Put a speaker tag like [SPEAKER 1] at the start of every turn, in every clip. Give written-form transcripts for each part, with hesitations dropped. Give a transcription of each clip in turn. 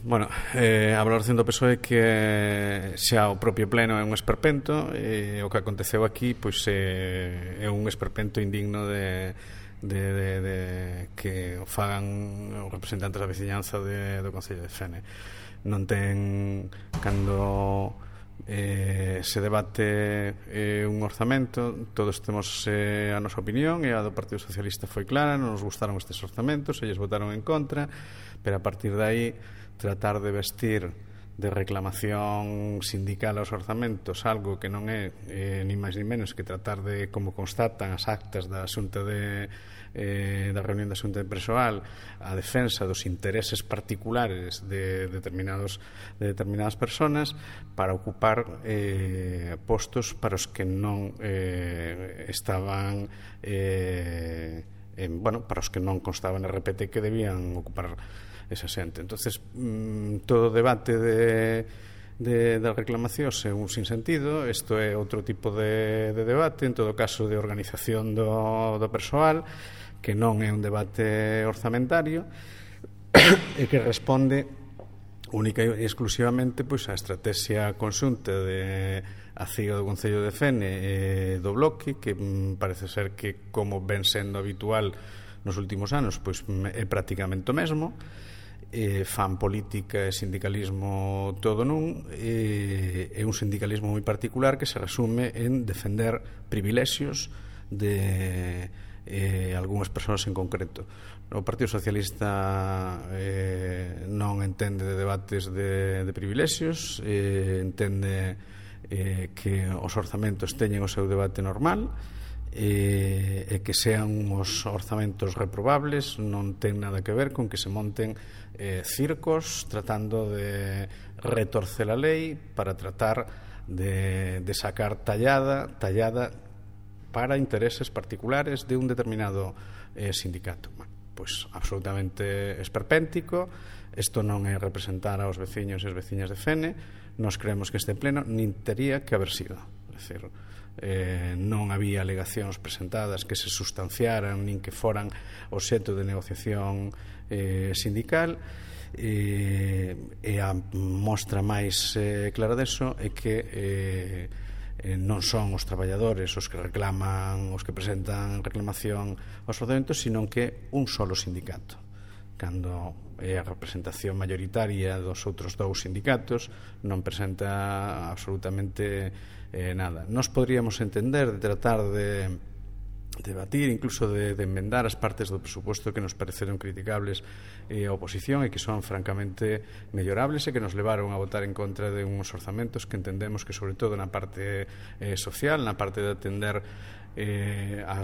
[SPEAKER 1] Bueno, a valoración do PSOE que xa o propio pleno é un esperpento, o que aconteceu aquí pois é un esperpento indigno de que o fagan os representantes da veciñanza do Concello de Fene. Non ten, cando se debate un orzamento, todos temos a nosa opinión, e a do Partido Socialista foi clara, non nos gustaron estes orzamentos, eles votaron en contra, pero a partir de aí tratar de vestir de reclamación sindical aos orzamentos algo que non é ni máis ni menos que tratar de, como constatan as actas da Xunta da reunión da Xunta de Persoal, a defensa dos intereses particulares de determinadas personas para ocupar postos para os que non estaban para os que non constaban en RPT que debían ocupar esa xente. Entonces, todo o debate de reclamacións é un sinsentido. Isto é outro tipo de debate, en todo caso de organización do persoal, que non é un debate orzamentario e que responde única e exclusivamente pois á estrategia conxunta de a CIO do Concello de Fene e do Bloque, que parece ser que, como ven sendo habitual nos últimos anos, pois é prácticamente o mesmo. Fan política e sindicalismo todo nun, é un sindicalismo moi particular que se resume en defender privilexios de algunhas persoas en concreto. O Partido Socialista non entende de debates de privilexios, entende que os orzamentos teñen o seu debate normal, e que sean os orzamentos reprobables non ten nada que ver con que se monten circos tratando de retorcer a lei para tratar de sacar tallada para intereses particulares de un determinado sindicato. Pois absolutamente esperpéntico. Isto non é representar aos veciños e as veciñas de Fene. Nos creemos que este pleno nin tería que haber sido, é dicir, non había alegacións presentadas que se sustanciaran nin que foran obxecto de negociación sindical, e a mostra máis clara deso é que non son os traballadores os que reclaman, os que presentan reclamación aos orzamentos, sino que un solo sindicato, cando é a representación mayoritaria dos outros dous sindicatos non presenta absolutamente nada. Nos podríamos entender de tratar de debatir, incluso de enmendar as partes do presuposto que nos pareceron criticables a oposición e que son francamente mellorables e que nos levaron a votar en contra de uns orzamentos que entendemos que, sobre todo na parte social, na parte de atender a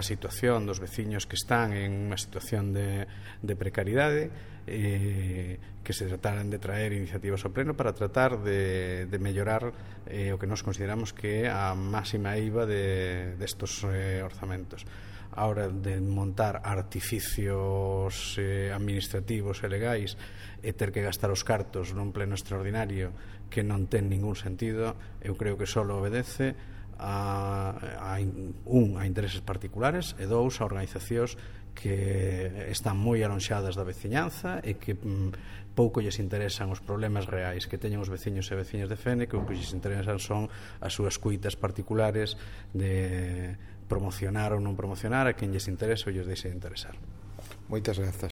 [SPEAKER 1] situación dos veciños que están en unha situación de precariedade, que se trataran de traer iniciativas ao pleno para tratar de mellorar o que nos consideramos que é a máxima eiva destos orzamentos. A hora de montar artificios administrativos e legais e ter que gastar os cartos nun pleno extraordinario que non ten ningún sentido, eu creo que só obedece a intereses particulares e dous, a organizacións que están moi alonxadas da veciñanza e que pouco lles interesan os problemas reais que teñen os veciños e veciñas de Fene, que o que lles interesan son as súas cuitas particulares de promocionar ou non promocionar a quen lles interesa ou lles deixe de interesar.
[SPEAKER 2] Moitas grazas.